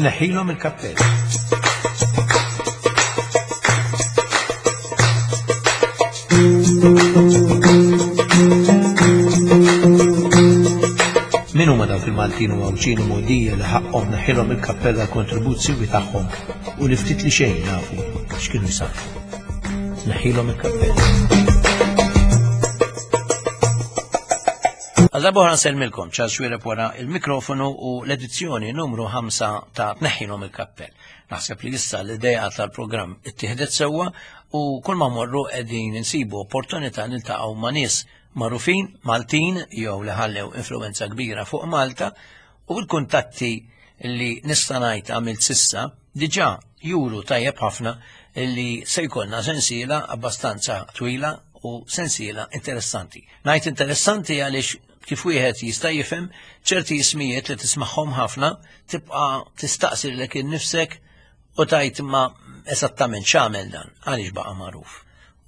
Tneħħilhom il-kappell. Min huma dawk il-Maltin u Għawdxin u Mogħdija li ħaqqhom neħħilhom il-kappell għall-kontribut siwi tagħhom u li ftit li xejn nafu x'kienu jsarrfu. Neħħilhom il-kappell. Għal darba oħra nsellmilkom Charles Xuereb wara il-mikrofonu u l-edizzjoni numru 5 ta' Tneħħilhom il-Kappell. Naħseb li issa l-idea tal-programm ittieħdet sewwa u kull ma morru qegħdin insibu opportunità niltaqgħu ma' nies magħrufin Maltin jew li ħallew influenza kbira fuq Malta u l-kuntatti li nista' ngħid għamilt sissa diġà juru tajjeb ħafna li se jkollna sensiela abbastanza twila u sensiela interessanti. Ngħid interessanti għaliex kif wieħed jista' jifhem ċerti ismijiet li tismagħhom ħafna tibqa' tistaqsi lilek innifsek u tajt ma esattament x'għamel dan għaliex baqa' magħruf.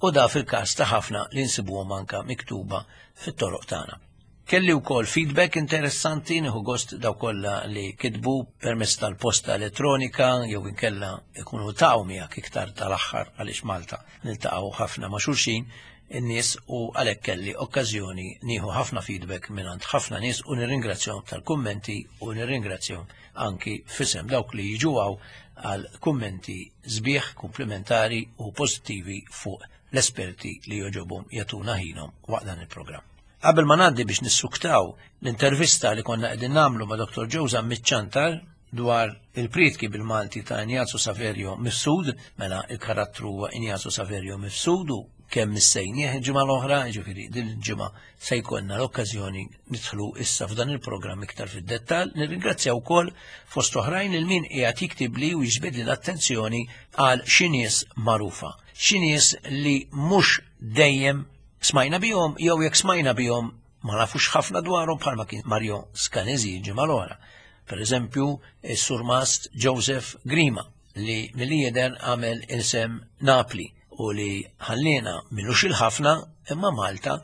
U da fil-każ ta' ħafna li nsibuhom anka miktuba fit-toroq tagħna. Kelli wkoll feedback interessanti nieħu gost daw kollha li kitbu permezz tal-posta elettronika jew inkella ikunu taqgħu miegħek iktar tal-aħħar għaliex Malta niltaqgħu ħafna ma' xulxin in-nies u għalhekk kelli okkażjoni nieħu ħafna feedback mingħand ħafna nies u nirringrazzjahom tal-kummenti u nirringrazzjahom anki f'isem dawk li jiġu hawn għal kummenti sbieħ, kumplimentari u pożittivi fuq l-esperti li jogħġobhom jagħtuna ħinhom waqt dan il-programm. Qabel ma ngħaddi biex nissuktaw l-intervista li konna qegħdin nagħmlu ma' Dr. Joe Zammit Ciantar dwar il-prietki bil-Malti ta' Ignazio Saverio Mifsud, mela il-karattru huwa Ignazio Saverio Mifsud u kemm missejnieh il-ġimgħa l-oħra, jiġifieri din il-ġimgħa se jkollna l-okkażjoni nidħlu issa f'dan il-programm iktar fid-dettall. Nirringrazzja wkoll fost oħrajn lil min qiegħed jiktibli u jiġbidli l-attenzjoni għal xi nies magħrufa, xi nies li mhux dejjem smajna bihom jew jekk smajna bihom ma nafux ħafna dwarhom bħalma kien Mario Scanesi ġimgħa l-oħra. Per eżempju, is-surmast Joseph Grima li milli jidher għamel isem Napli u li ħallina milux il-ħafna imma Malta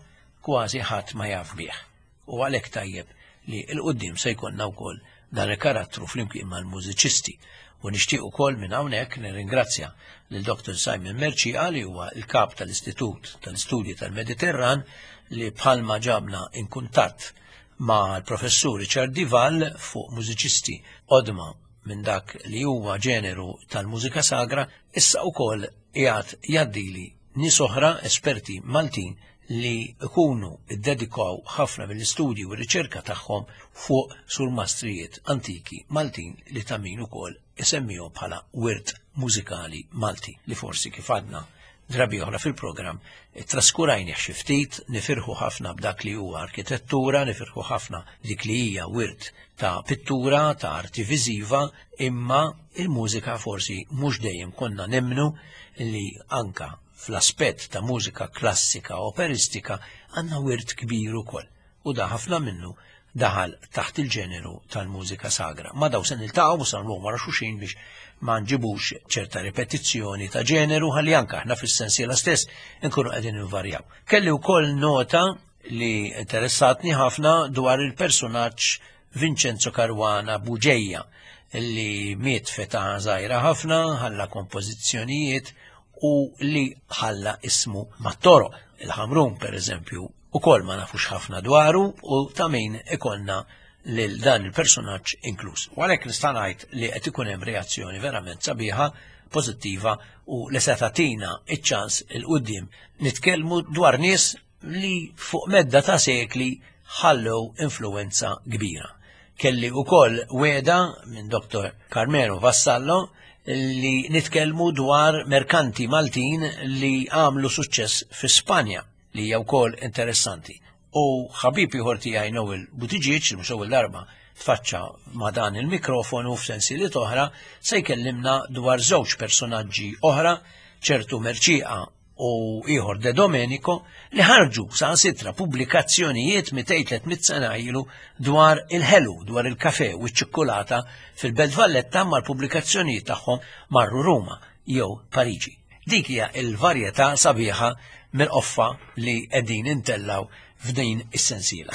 kważi ħadd ma jaf bih. U għalhekk tajjeb li 'l quddiem se jkollna wkoll dan il-karattru flimkien mal-mużiċisti. U nixtieq ukoll minn hawnhekk nirringrazzja lil Dr. Simon Mercieca li huwa l-kap tal-Istitut tal-Istudji tal-Mediterran li bħalma ġabna in kuntatt ma' l-Professur Richard Dival fuq mużiċisti qodma minn dak li huwa ġeneru tal-mużika sagra, issa wkoll qiegħed jgħaddili nies oħra esperti Maltin li jkunu ddedikaw ħafna mill-istudji u r-riċerka tagħhom fuq surmastrijiet antiki Maltin li ta' min ukoll isemmihom bħala wirt mużikali Malti li forsi kif għadna drabi oħra fil-programm traskurajnih xi ftit, nifirħu ħafna b'dak li huwa arkitettura, nifirħu ħafna dik li hija wirt ta' pittura, ta' arti viżiva, imma il-mużika forsi mhux dejjem konna nemmnu li anka fl-aspett ta' mużika klassika operistika għandna wirt kbir ukoll u da ħafna minnu daħal taħt il-ġeneru tal-mużika sagra. Ma daw se niltaqgħu u se nagħmluhom wara xulxin biex ma nġibux ċerta ripetizzjoni ta' ġeneru ħalli anke aħna fis-sensiela stess inkunu qegħdin invarjaw. Kelli wkoll nota li interessatni ħafna dwar il-personaġġ Vincenzo Caruana Bugeja li miet feta żgħira ħafna, ħalla kompożizzjonijiet u li ħalla ismu mat-toroq. Il-Ħamrun, per eżempju, ukoll ma nafux ħafna dwaru u ta' min ikollna lil dan il-personaġġ inkluż. U għalhekk nista' ngħid li qed ikun hemm reazzjoni verament sabiħa, pożittiva u li se tagħtina ċ-ċans il quddiem nitkellmu dwar nies li fuq medda ta' sekli ħallew influwenza kbira. Kelli wkoll wegħda minn Dr. Carmelo Vassallo li nitkellmu dwar merkanti Maltin li għamlu suċċess fi Spanja li hija wkoll interessanti. U ħabib ieħor tiegħi Noel Buttigieg, li mhux ewwel darba tfaċċa ma' dan il-mikrofonu f'sensieliet oħra, se jkellimna dwar żewġ personaġġi oħra, ċertu Mercieca u ieħor De Domenico li ħarġu saħansitra pubblikazzjonijiet 200-300 sena ilu dwar il-ħelu, dwar il-kafe u ċ-ċikkulata fil-Belt Valletta mal pubblikazzjonijiet tagħhom marru Ruma jew Pariġi. Dik hija l-varjetà sabiħa mill-qoffa li qegħdin intellaw f'din is-sensiela.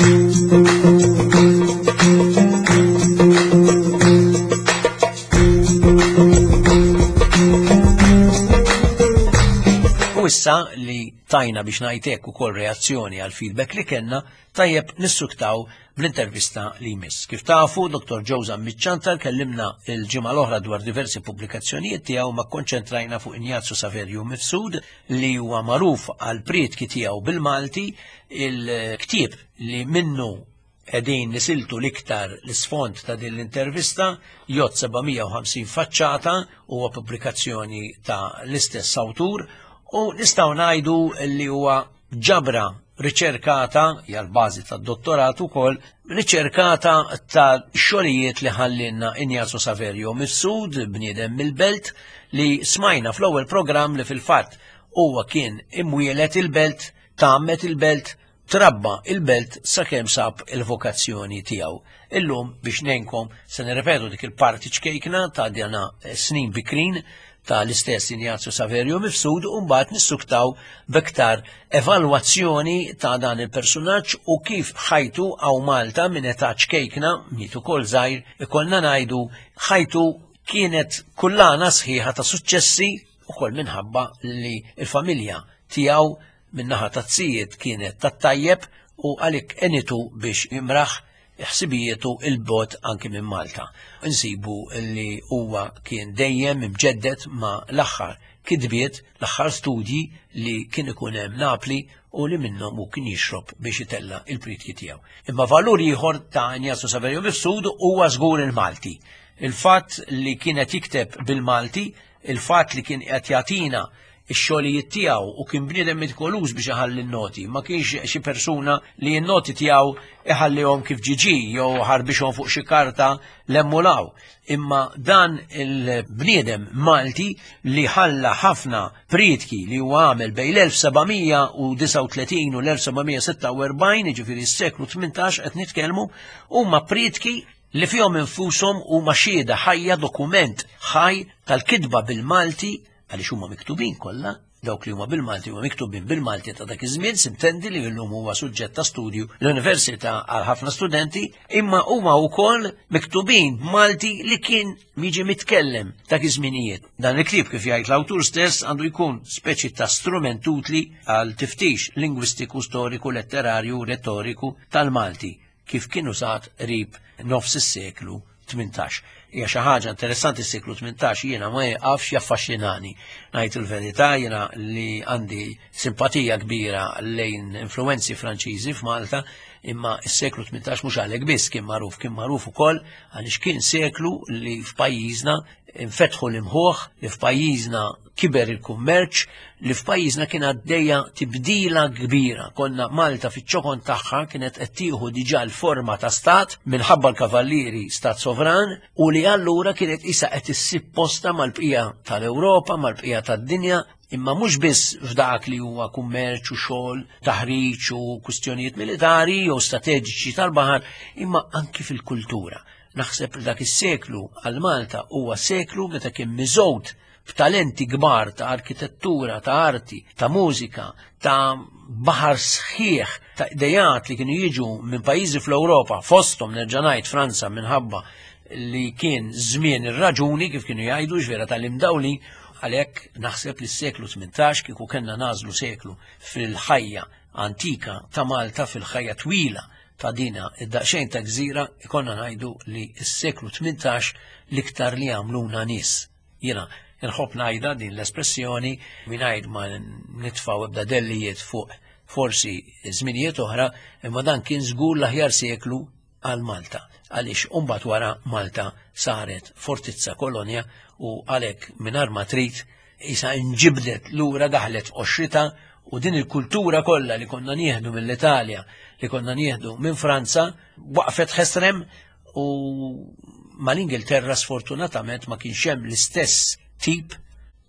issa li tajna biex ngħid hekk ukoll reazzjoni għal feedback li kellna, tajjeb nissuktaw bl-intervista li jmiss. Kif tafu, Dr. Joe Zammit Ciantar kellimna il-ġimgħa l-oħra dwar diversi pubblikazzjonijiet tiegħu ma konċentrajna fuq Injazju Saverju Mifsud li huwa magħruf għal prietki tiegħu bil-Malti, il-ktieb li minnu qegħdin nisiltu l-iktar l-isfond ta' din l-intervista jgħodd 750 faċċata huwa pubblikazzjoni ta' l-istess awtur u nistgħu ngħidu li huwa ġabra riċerkata, hija l-bażi tad-dottorat ukoll, riċerkata ta' xogħlijiet li ħallinna Injazio Saverio Mifsud, bniedem mill-belt, li smajna fl-ewwel programm li fil-fatt huwa kien imwielet il-belt, tgħammed il-belt, trabba il-belt sakemm sab il-vokazzjoni tiegħu. Illum biex ngħinkom se nirrepetu dik il-parti ċkejkna ta' djana snin bikrin ta' l-istess Ignazio Saverio Mifsud u mbagħad nissuktaw b'iktar evalwazzjoni ta' dan il-persunaġġ u kif ħajtu għaw Malta minn età ċkejkna, miet ukoll żgħir, ikollna ngħidu ħajtu kienet kullana sħiħa ta' suċċessi ukoll minħabba li l-familja tiegħu min-naħa taz-zijiet kienet tat-tajjeb u għalhekk għenitu biex jimraħ ħsibijietu 'il bogħod anki minn Malta. Insibu li huwa kien dejjem imġedded ma' l-aħħar kitbiet, l-aħħar studji li kien ikun hemm Napli u li minnhom hu kien jixrob biex itella' il-prietki tiegħu. Imma valur ieħor ta' Ignazio Saverio Mifsud huwa żgur il-Malti. Il-fatt li kien qed jikteb bil-Malti, il-fatt li kien qed jagħtina ix-xogħlijiet tiegħu u kien bniedem mitkoluż biex iħalli n-noti, ma kienx xi persuna li n-noti tiegħu iħallihom kif ġiġi jew ħarbixhom fuq xi karta l-emmulaw. Imma dan il-bniedem Malti li ħalla ħafna prietki li huwa għamel bejn l-1739 u l-1746, jiġifieri s-seklu 18 qed nitkellmu, huma prietki li fihom infushom huma xhieda ħajja dokument ħaj tal-kitba bil-Malti għaliex huma miktubin kollha, dawk li huma bil-Malti huma miktubin bil-Malti ta' dak iż-żmien, sintendi li llum huwa suġġett ta' studju l-università għal ħafna studenti, imma huma wkoll miktubin b'Malti li kien jiġi mitkellem dak iż-żminijiet. Dan il-ktieb kif jgħid l-awtur stess għandu jkun speċi ta' strument utli għal tiftix lingwistiku, storiku, letterarju, retoriku tal-Malti kif kien użat qrib nofs is-seklu 18. Hija xi ħaġa interessanti s-seklu 18 jiena ma jieqafx jaffaxxinani. Ngħid il-verità jiena li għandi simpatija kbira lejn influenzi Franċiżi f'Malta, imma s-seklu 18 mhux għalhekk biss kien magħruf, kien magħruf ukoll għaliex kien seklu li f'pajjiżna infetħu l-imħuħ, li f'pajjiżna kiber il-kummerċ li f'pajjiżna kien għaddejja tibdila kbira. Konna Malta fiċ-ċokon tagħha kienet qed tieħu diġà l-forma ta' stat minħabba l-kavallieri stat sovran u li allura kienet isa qed issib posta mal-bqija tal-Ewropa, mal-bqija tad-dinja, imma mhux biss f'dak li huwa kummerċ u xogħol, taħriġ u kwistjonijiet militari jew strateġiċi tal-baħar, imma anki fil-kultura. Naħseb li dak is-seklu għal Malta huwa seklu meta kien miżgħud b'talenti kbar ta' arkitettura, ta' arti, ta' mużika, ta' baħar sħiħ ta' idejat li kienu jiġu minn pajjiżi fl-Ewropa, fosthom nerġa' ngħid Franza minħabba li kien żmien ir-raġuni kif kienu jgħidu ġvera tal-imdawli, għalhekk naħseb li s-seklu 18 kieku kellna nażlu seklu fil-ħajja antika ta' Malta fil-ħajja twila ta' dina id-daqsxejn ta' gżira ikonna ngħidu li s-seklu 18 l-iktar li għamluna nies. Jiena nħobb ngħidha din l-espressjoni mingħajr ma nitfgħu ebda dellijiet fuq forsi żminijiet oħra, imma dan kien żgur l-aħjar seklu għal Malta għaliex imbagħad wara Malta saret fortizza kolonja u għalhekk mingħajr ma trid isa inġibdet lura daħlet f'qoxrita u din il-kultura kollha li konna nieħdu mill-Italja, li konna nieħdu minn Franza, waqfet ħesrem u mal-Ingilterra sfortunatament ma kienx hemm l-istess tip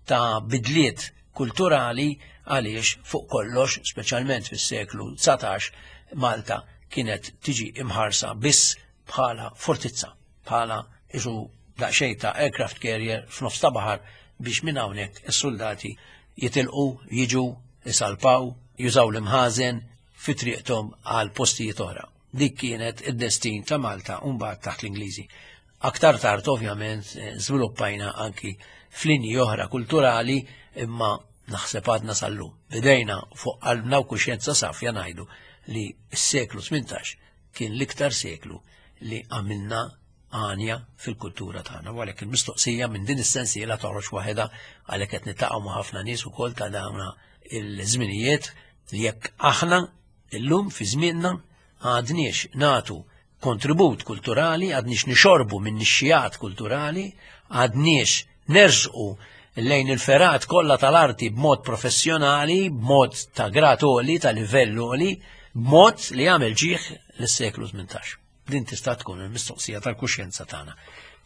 ta' bidliet kulturali għaliex fuq kollox, speċjalment fis-seklu 19, Malta kienet tiġi imħarsa biss bħala fortizza, bħala isu daqsxejn ta' aircraft carrier f'nofs ta' baħar biex minn hawnhekk is-soldati jitilqu, jiġu, isalpaw, jużaw l-imħażen fi triqthom għal postijiet oħra. Dik kienet id-destin ta' Malta u mbagħad taħt l-Ingliżi. Aktar tard ovvjament eh, żviluppajna anki f'linji oħra kulturali imma Naħseb għadna sal-lum. Bidejna fuq qalbna u kuxjenza safja ngħidu li s-seklu 18 kien l-iktar seklu li għamilna għanja fil-kultura tagħna. U għalhekk il-mistoqsija minn din is-sensiela toħroġ waħedha għalhekk qed niltaqgħu ma' ħafna nies ukoll ta' dawn il-żminijiet li jekk aħna illum fi żmienna għadniex nagħtu kontribut kulturali, għadniex nixorbu minn nixxijat kulturali, għadniex nersqu lejn il-ferat kollha tal-arti b'mod professjonali, b'mod ta' grad għoli, ta' livell għoli, b'mod li jagħmel ġieħ lis-seklu 18. Din tista' tkun il-mistoqsija tal-kuxjenza tagħna.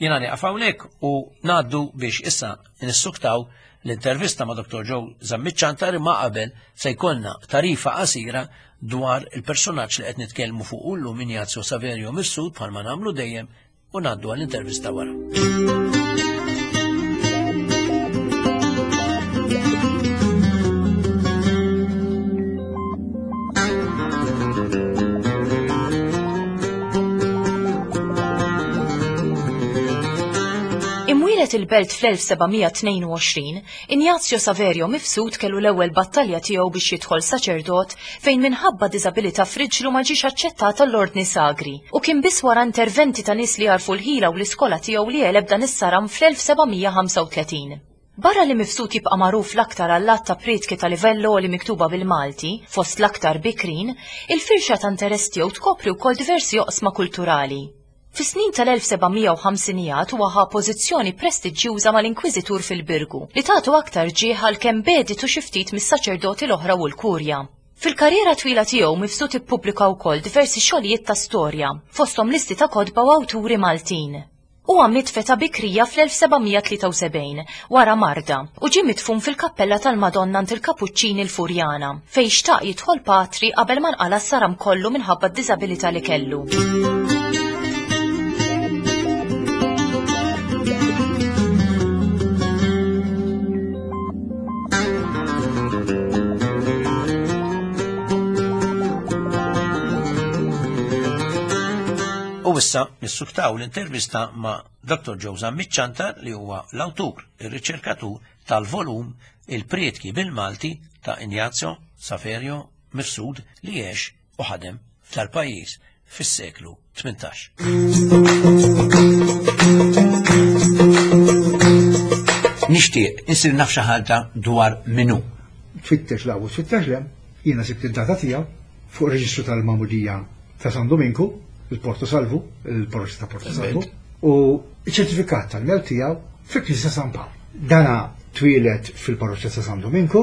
Jiena nieqaf hawnhekk u ngħaddu biex issa nissuktaw l-intervista ma' Dr. Joe Zammit Ciantar imma qabel se jkollna tarifa qasira dwar il-personaġġ li qed nitkellmu fuq llum Ignazio Saverio Mifsud bħalma nagħmlu dejjem u ngħaddu għall-intervista wara. Imwieled il-Belt fl-1722, Ignazio Saverio Mifsud kellu l-ewwel battalja tiegħu biex jidħol saċerdot fejn minħabba diżabilità f'riġlu ma ġiex aċċettat għall-Ordni Sagri u kien biss wara interventi ta' nies li għarfu l-ħila u l-iskola tiegħu li għeleb dan is-saram fl-1735. Barra li Mifsud jibqa' magħruf l-aktar għall-għadd ta' prietki ta' livell għoli miktuba bil-Malti, fost l-aktar bikrin, il-firxa ta' interess tiegħu tkopri wkoll diversi oqsma kulturali. Fis-snin tal-1750ijat huwa ħa pożizzjoni prestiġjuża mal-Inkwiżitur fil-Birgu, li tatu aktar ġieħ għalkemm begħditu xi ftit mis-saċerdoti l-oħra u l-Kurja. Fil-karriera twila tiegħu Mifsud ippubblika wkoll diversi xogħlijiet ta' storja, fosthom listi ta' kotba u awturi Maltin. Huwa miet f'età bikrija fl-1773 wara marda u ġie midfun fil-kappella tal-Madonna għand il-Kapuċċini l-Furjana, fejn xtaq jidħol patri qabel ma nqala' s-saram kollu minħabba d-diżabilità li kellu. U issa nissuktaw l-intervista ma' Dr. Joe Zammit Ciantar li huwa l-awtur, ir-riċerkatur tal-volum Il-Prietki bil-Malti ta' Ignazio Saverio Mifsud li għex u ħadem f'dal-pajjiż fis-seklu 18. Nixtieq insir naf xi ħaġa dwar min hu. Tfittex 'l hawn u tfittex 'l hemm, jiena sibt id-data tiegħu fuq ir-reġistru tal-magħmudija ta' San Dominku, il-Porto Salvu, il-parroċċa ta' Porto Salvu, u ċ-ċertifikat tal-mewt tiegħu fil-Knisja San Pawl. Dana twieled fil-parroċċa ta' San Dominku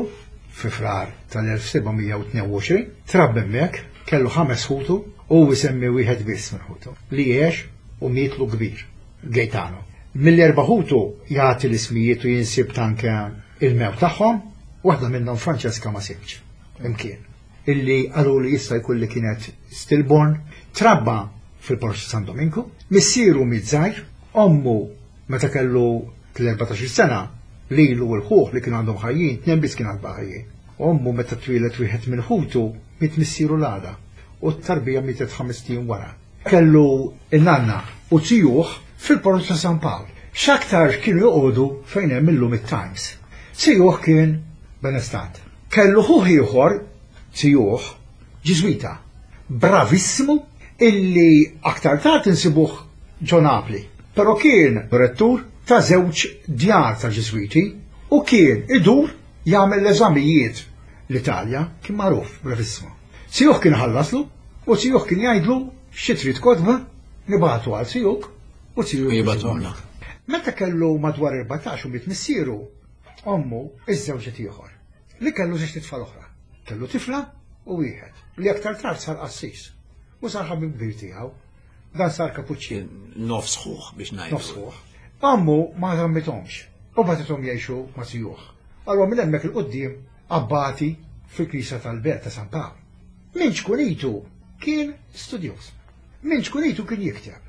fi Frar tal-1722, trabba hemmhekk, kellu ħames ħutu u jsemmi wieħed biss minn ħutu li għex u mietlu kbir, Gaetano. Mill-erba' ħutu jagħti l-ismijiet u jinsib tanke il-mewt tagħhom, waħda minnhom Francesca ma sibx imkien. illi qaluli jista' jkun li kienet stillborn, trabba fil-Parroċċa San Dominku, missieru miet żgħir, ommu meta kellu tl-14-il sena, lilu u l-ħuh li kienu għandhom ħajjin, tnejn biss kien għad baqa' ħajjin. Ommu meta twieled wieħed minn ħutu miet missieru l-għada u t-tarbija mietet ħamest ijiem wara. Kellu n-nanna u zijuh fil-Parroċċa San Pawl. X'aktarx kienu joqogħdu fejn hemm illum it-Times. Zijuh kien benestant. Kellu ħuh ieħor, zijuh, Ġiżwita, bravissimu, illi aktar tard insibuh ġo Napli. Però kien rettur ta' żewġ djar ta' Ġiżwiti u kien idur jagħmel l-eżamijiet l-Italja, kien magħruf, bravissimu. Zijuh kien iħallaslu u zijuh kien jgħidlu xi trid kotba nibagħtu għal zijuk u zijuk jibgħatuhomlok. Meta kellu madwar 14 u miet missieru, Ommu iżżewġet ieħor, li kellu żewġt itfal oħra. Kellu tifla u wieħed, li aktar tard sar qassis u sar ħabib kbir tiegħu. Dan sar kapuċċin. Nofs ħuh biex ngħidu. Nofs ħuh. Ommu ma żammithomx u bagħtithom jgħixu ma' zijuh. Allura minn hemmhekk 'il quddiem abbati fil-knisja tal-belt ta' San Pawl. Minn ċkunitu kien studjuż. Minn ċkunitu kien jikteb.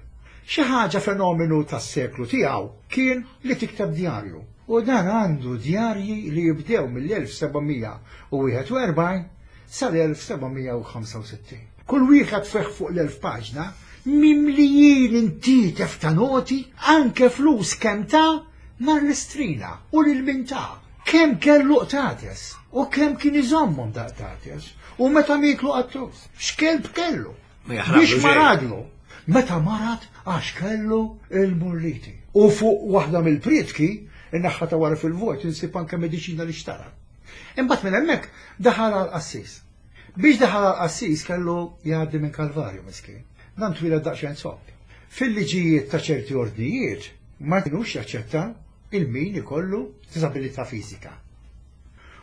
Xi ħaġa fenomenu tas-seklu tiegħu kien li tikteb djarju. U dan għandu djarji li jibdew mill-1741 sal-1765. Kull wieħed fih fuq l-1000 paġna, mimlijin intietef ta' noti, anke flus kemm ta nhar l-Istrina u lil min ta. Kemm kellu qtates u kemm kien iżommhom da qtates u meta mietlu qattus, x'kelb kellu. Biex maradlu. Meta marad għax kellu il-mulliti. U fuq waħda mill-prietki, in-naħħa ta' wara fil-vojt insib anke mediċina li xtara. Imbagħad minn hemmhekk daħal għal qassis. Biex daħal għal qassis kellu jgħaddi minn Kalvarju miskin. Dan twieled daqsxejn zopp. Fil-liġijiet ta' ċerti ordnijiet ma kinux jaċċetta il-min ikollu diżabilità fiżika.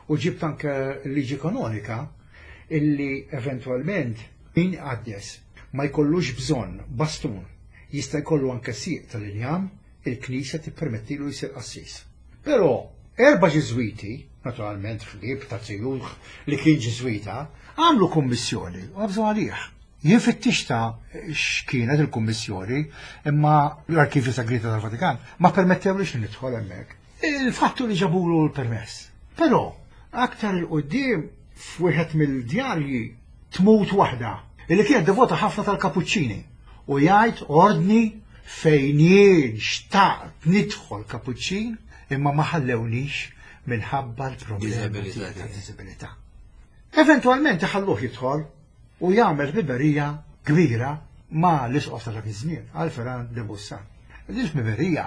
U ġibt anke l-liġi kanonika illi eventwalment min iqaddes ma jkollux bżonn bastun, jista' jkollu anke sieq tal-injam, il-Knisja tippermettilu jsir qassis. Però erba' Ġiżwiti, naturalment ħbieb ta' Zijuh li kien Ġiżwita, għamlu kummissjoni u qabżu għalih. Jien fittixtha x'kienet il-kummissjoni, imma l-Arkivju Segreta tal-Vatikan ma permettewlix li nidħol hemmhekk. Il-fatt hu li ġabulu l-permess. Però, aktar 'il quddiem, f'wieħed mill-djarji tmut waħda li kienet devota ħafna tal-Kapuċċini u jgħid ordni fejn jien xtaqt nidħol Kapuċċin imma ma ħallewniex minħabba l-problema tad-diżabilità. Eventwalment iħalluh jidħol u jagħmel ħbiberija kbira ma' l-isqof ta' dak iż-żmien, Alpheran de Bussan. Din il-ħbiberija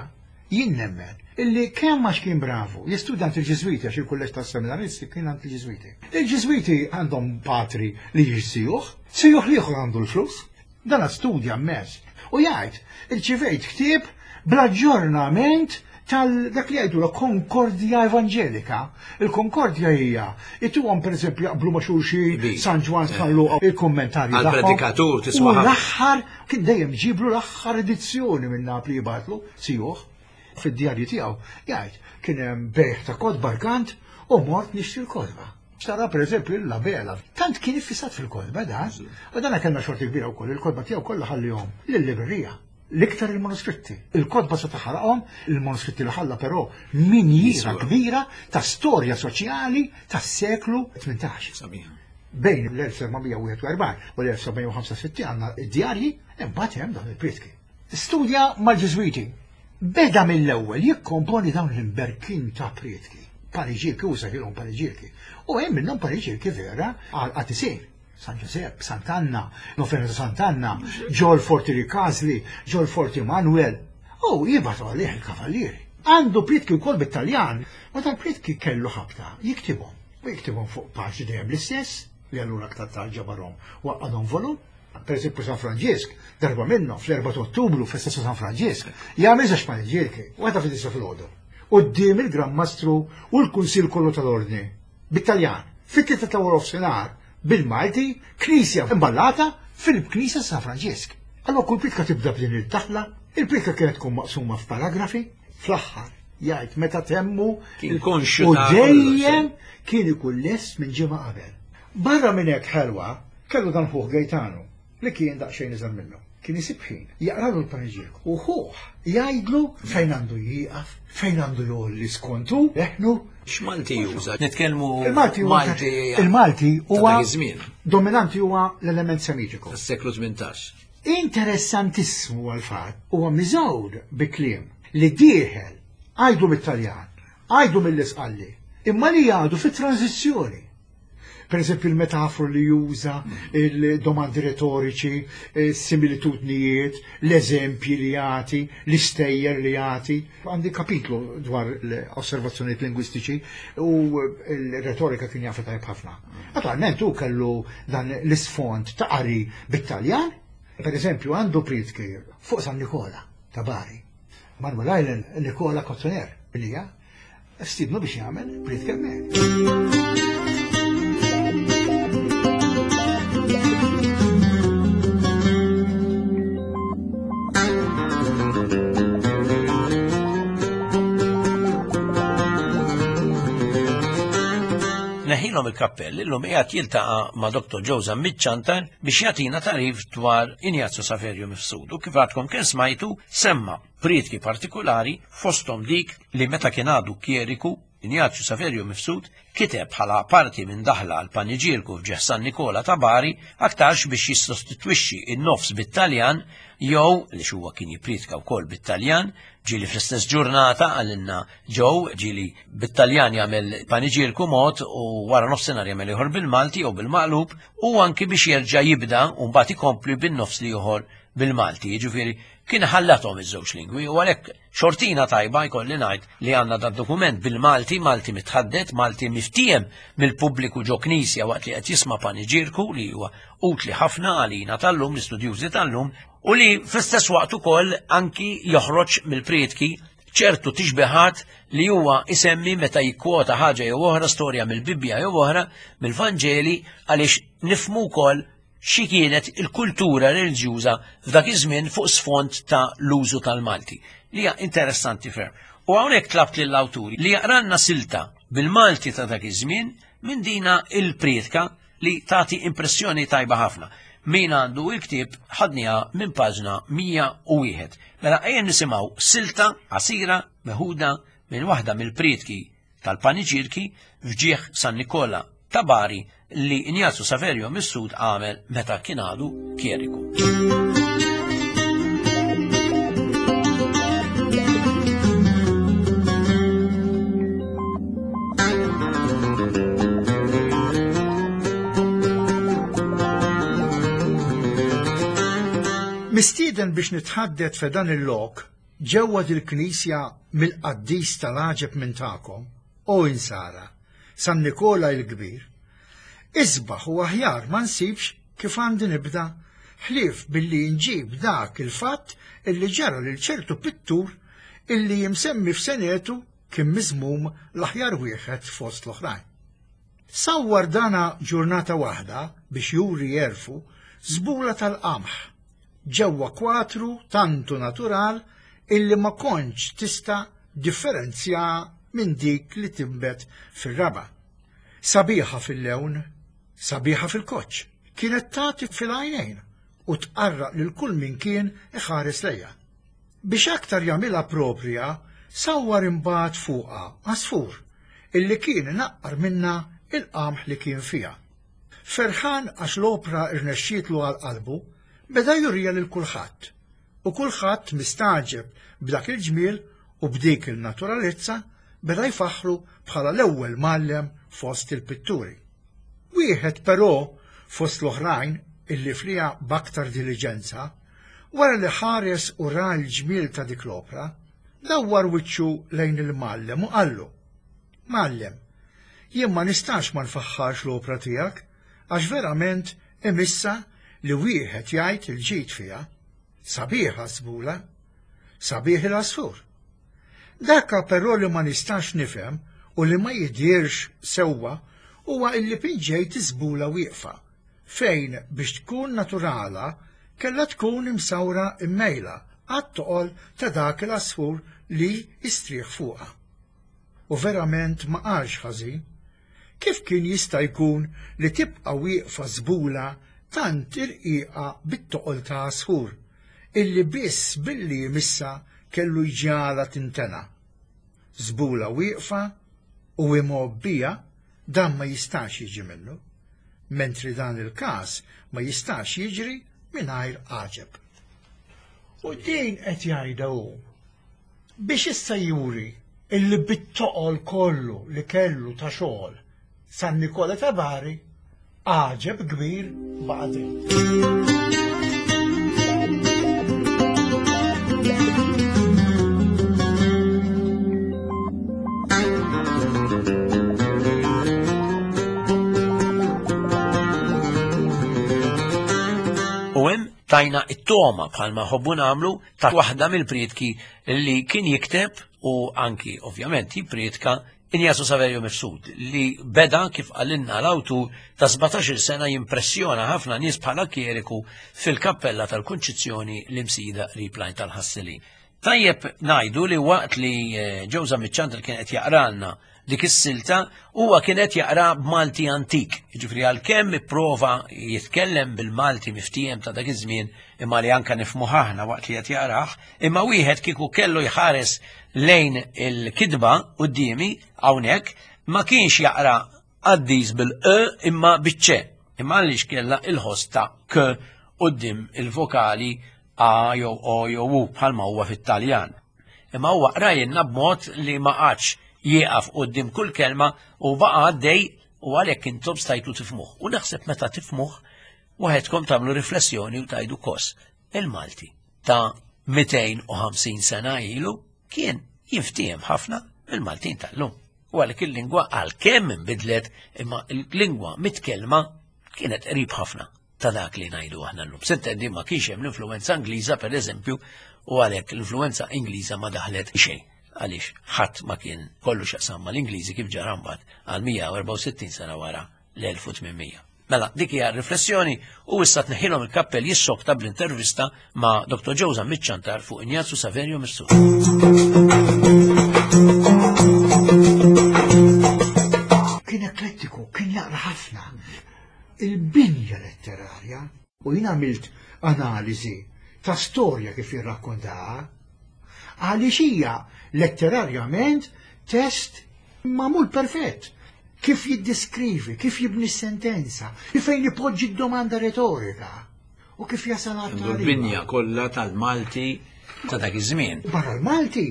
jien nemmen illi kemm għax kien bravu, jistudja għand il-Ġiżwiti għax il-kulleġġ tas-seminaristi kien għand il-Ġiżwiti. Il-Ġiżwiti għandhom patri li jiġsijuh, sijuh l-ieħor għandu l-flus, dan studja mmens. U jgħid, irċivejt ktieb bl-aġġornament tal dak li jgħidu la konkordja evanġelika. Il-konkordja hija ituhom pereżempju jaqblu ma' xulxin San Ġwann eh. San Luqa il-kummentarji Għal-predikatur tisma' L-aħħar kien dejjem ġiblu l-aħħar edizzjoni minn Napli jibgħatlu sijuh fid-djarju tiegħu jgħid kien hemm bejħ ta' kotba rkant u mort nixtri l-kotba. Xtara pereżempju l-labela. Tant kien iffissat fil-kotba dan, u dan kellna xorti kbira wkoll, il-kotba tiegħu kollha ħallihom lill-librerija. L-iktar il-manuskritti. Il-kotba se taħaraqhom, il-manuskritti li ħalla però minjiera kbira ta' storja soċjali tas-seklu 18. Bejn l-1741 u l-1765 għandna id-djarji, imbagħad hemm dawn il-prietki. Studja mal-Ġiżwiti. Beda mill-ewwel jikkomponi dawn l-imberkin ta' prietki. Paniġierki, u sejħilhom paniġierki. U hemm minnhom paniġierki vera għal qatisin. San Ġużepp, Sant'Anna, Novena ta' Sant'Anna, ġol Forti Ricasli, ġol Forti Manuel. U jibgħatu għalih il-kavallieri. Għandu prietki wkoll bit-Taljan, ma tal-prietki kellu ħabta jiktibhom. U jiktibhom fuq paġni dejjem l-istess, li allura aktar tard ġabarhom u għaqqadhom volum. Per eżempju San Franġisk, darba minnhom fl-4 ta' Ottubru festa ta' San Franġisk, jagħmel żewġ paniġierki, waħda fid-disa filgħodu. Quddiem il-Gran Mastru u l-Kunsill kollu tal-Ordni. Bit-Taljan, fit-tlieta ta' waranofsinhar, bil-Malti, knisja imballata fil-Knisja San Franġisk. Allura kull priedka tibda b'din il-daħla, il-priedka kienet tkun maqsuma f'paragrafi, fl-aħħar jgħid meta temmu Kien konxju u ta' kollox, dejjem kien ikun lest minn ġimgħa qabel. Barra minn hekk ħelwa kellu dan ħuh Gejtanu li kien daqsxejn iżgħar minnu. Kien isib ħin jaqralu l-paniġierk u ħuh jgħidlu fejn għandu jieqaf, fejn għandu jgħolli skont hu leħnu. X'Malti juża? Nitkellmu Il-Malti huwa Malti il-Malti huwa ta' dak iż-żmien. Dominanti huwa l-element semitiku. Tas-seklu 18. Interessantissimu huwa l-fatt huwa miżgħud bi kliem li dieħel għajdu mit-Taljan, għajdu mill-Isqalli, imma li għadu fit-tranżizzjoni. Per eżempju, il-metafru li juża, il-domandi retoriċi, similitudnijiet, l-eżempji li jagħti, l-istejjer li jagħti. Għandi kapitlu dwar l-osservazzjonijiet lingwistiċi u l-retorika kien jafha tajjeb ħafna. Naturalment hu kellu dan l-isfond ta' qari bit-Taljan, per eżempju għandu prietki fuq San Nikola ta' Bari. Manuel Island, Nikola Kottoner, li hija Stidnu biex jagħmel priedka hemmhekk. Neħilhom il-kappell illum qiegħed jiltaqa' ma' Dr. Joe Zammit Ciantar biex jagħtina tagħrif dwar Ignazio Saverio Mifsud u kif għadkom kemm smajtu semma priedki partikulari fosthom dik li meta kien għadu kjeriku. Injazju Saverio Mifsud kiteb bħala parti minn daħla għal paniġierku f'ġieħ San Nikola ta' Bari aktarx biex jissostitwixxi n-nofs bit-Taljan jew li huwa kien jippriedka wkoll bit-Taljan, ġieli fl-istess ġurnata għalinna ġew ġieli bit-Taljan jagħmel paniġierku mod u wara nofsinhar jagħmel ieħor bil-Malti jew bil-maqlub u anki biex jerġa' jibda u mbagħad ikompli bin-nofs l-ieħor bil-Malti. Jiġifieri kien ħallathom iż-żewġ lingwi u għalhekk xortina tajba jkolli ngħid li għandna dan dokument bil-Malti, Malti mitħaddet, Malti miftiem mill-pubbliku ġo knisja waqt li qed jisma' paniġierku li huwa utli ħafna għalina tal-lum, l-istudjużi tal-lum, u li fl-istess waqt ukoll anki joħroġ mill-prietki ċertu tixbihat li huwa isemmi meta jikkwota ħaġa jew oħra, storja mill-Bibbja jew oħra, mill-Vanġeli, għaliex nifhmu wkoll xi kienet il-kultura reliġjuża f'dak iż-żmien fuq sfond ta' l-użu tal-Malti, li hija interessanti ferm. U hawnhekk tlabt lill-awturi li jaqralna silta bil-Malti ta' dak iż-żmien minn dina il-prietka li tagħti impressjoni tajba ħafna. Min għandu il-ktieb ħadniha minn paġna 101. Mela ejja nisimgħu silta qasira meħuda minn waħda mill-prietki tal-paniġierki f'ġieħ San Nikola ta' Bari li Injazju Saverio Mifsud għamel meta kien għadu kjeriku. Mistieden biex nitħaddet f'dan il-lok ġewwa dil-knisja mill-qaddis tal-għaġeb minn tagħkom, o insara, San Nikola il-Kbir, isbaħ u aħjar ma nsibx kif għandi nibda ħlief billi nġib dak il-fatt illi ġara lil ċertu pittur illi imsemmi f'senetu kien miżmum l-aħjar wieħed fost l-oħrajn. Sawwar dana ġurnata waħda biex juri għerfu żbula tal-qamħ ġewwa kwatru tantu natural illi ma kontx tista' differenzjaha minn dik li tinbet fir-raba'. Sabiħa fil-lewn, sabiħa fil-koċċ, kienet tagħti fil-għajnejn u tqarraq lil kull min kien iħares lejha. Biex aktar jagħmilha proprja, sawwar imbagħad fuqha għasfur illi kien inaqqar minnha il-qamħ li kien fiha. Ferħan għax l-opra rnexxietlu għal qalbu, beda juriha lil kulħadd, u kulħadd mistagħġeb b'dak il-ġmiel u b'dik il-naturalezza beda jfaħħru bħala l-ewwel mgħallem fost il-pitturi. Wieħed però fost l-oħrajn illi fliha b'aktar diliġenza, wara li ħares u ra l-ġmiel ta' dik l-opra, dawwar wiċċu lejn il-mgħallem u qallu, Mgħallem, jien ma nistax ma nfaħħarx l-opra tiegħek għax verament imissha li wieħed jgħid il-ġid fiha. Sabiħa s-sbula, sabiħ il-għasfur. Dakka però li ma nistax nifhem u li ma jidhirx sewwa huwa illi pinġejt iż-żbula wieqfa, fejn biex tkun naturala kellha tkun imsawra mmejla għat-toqol ta' dak il-għasfur li jistrieħ fuqha. U verament ma qalx ħażin. Kif kien jista' jkun li tibqa' wieqfa żbula tant irqiqa bit-toqol ta' għasfur, illi biss billi jmissha kellu jġagħalha tintena? Żbula wieqfa u imgħobbija dan ma jistax jiġi minnu, mentri dan il-każ ma jistax jiġri mingħajr għaġeb. U din qed jgħidha hu Biex issa juri illi bit-toqol kollu li kellu ta' xogħol San Nikola ta' Bari għaġeb kbir baqa' dritt. U hemm tajna it-toma bħalma ħobbu nagħmlu ta' waħda mill-prietki li kien jikteb u anki ovvjament jipprietka Injasu Saverio Mifsud li beda kif qalilna l-awtur ta' 17-il sena jimpressjona ħafna nies bħala kjeriku fil-kappella tal-Kunċizzjoni l-Imsida qrib l-Għajn tal-Ħasselin. Tajjeb ngħidu li waqt li eh, Ġewża Miċċandra kien qed jaqralna dik is-silta huwa kien qed jaqra b'Malti antik. Jiġifieri għalkemm ipprova jitkellem bil-Malti miftiehem ta' dak iż-żmien imma li anka nifhmuh aħna waqt li qed jaqrah, imma wieħed kieku kellu jħares lejn il-kitba quddiemi hawnhekk ma kienx jaqra qaddis bil-e imma biċ-ċe. Imma għaliex kellha il-ħoss ta' k quddiem il-vokali a jew o jew u bħalma huwa fit-Taljan. Imma huwa qrajilna b'mod li ma qagħadx jieqaf quddiem kull kelma u baqa' għaddej u għalhekk intom stajtu tifhmuh. U naħseb meta tifhmuh waħedkom tagħmlu riflessjoni u tgħidu kos. Il-Malti ta' 250 sena ilu kien jinftiehem ħafna mill-Maltin tal-lum. U għalhekk il-lingwa għalkemm inbidlet imma l-lingwa mitkellma kienet qrib ħafna ta' dak li ngħidu aħna llum. S'intendi ma kienx hemm l-influenza Ingliża pereżempju u għalhekk l-influenza Ingliża ma daħlet xejn għaliex ħadd ma kien kollu x'jaqsam mal-Ingliżi kif ġara mbagħad għal 164 sena wara l-1800. Mela, dik hija riflessjoni u issa tneħħilhom il-kappell jissokta bl-intervista ma' Dr. Joe Zammit Ciantar fuq Ignazju Saverio Mifsud. Kien eklettiku, kien jaqra ħafna. Il-binja letterarja u jien għamilt analiżi ta' storja kif jirrakkontaha għaliex hija letterarjament test magħmul perfett. Kif jiddiskrivi, kif jibni s-sentenza, fejn ipoġġi d-domanda retorika u kif jasal għal L-binja kollha tal-Malti ta' dak iż-żmien. Barra l-Malti,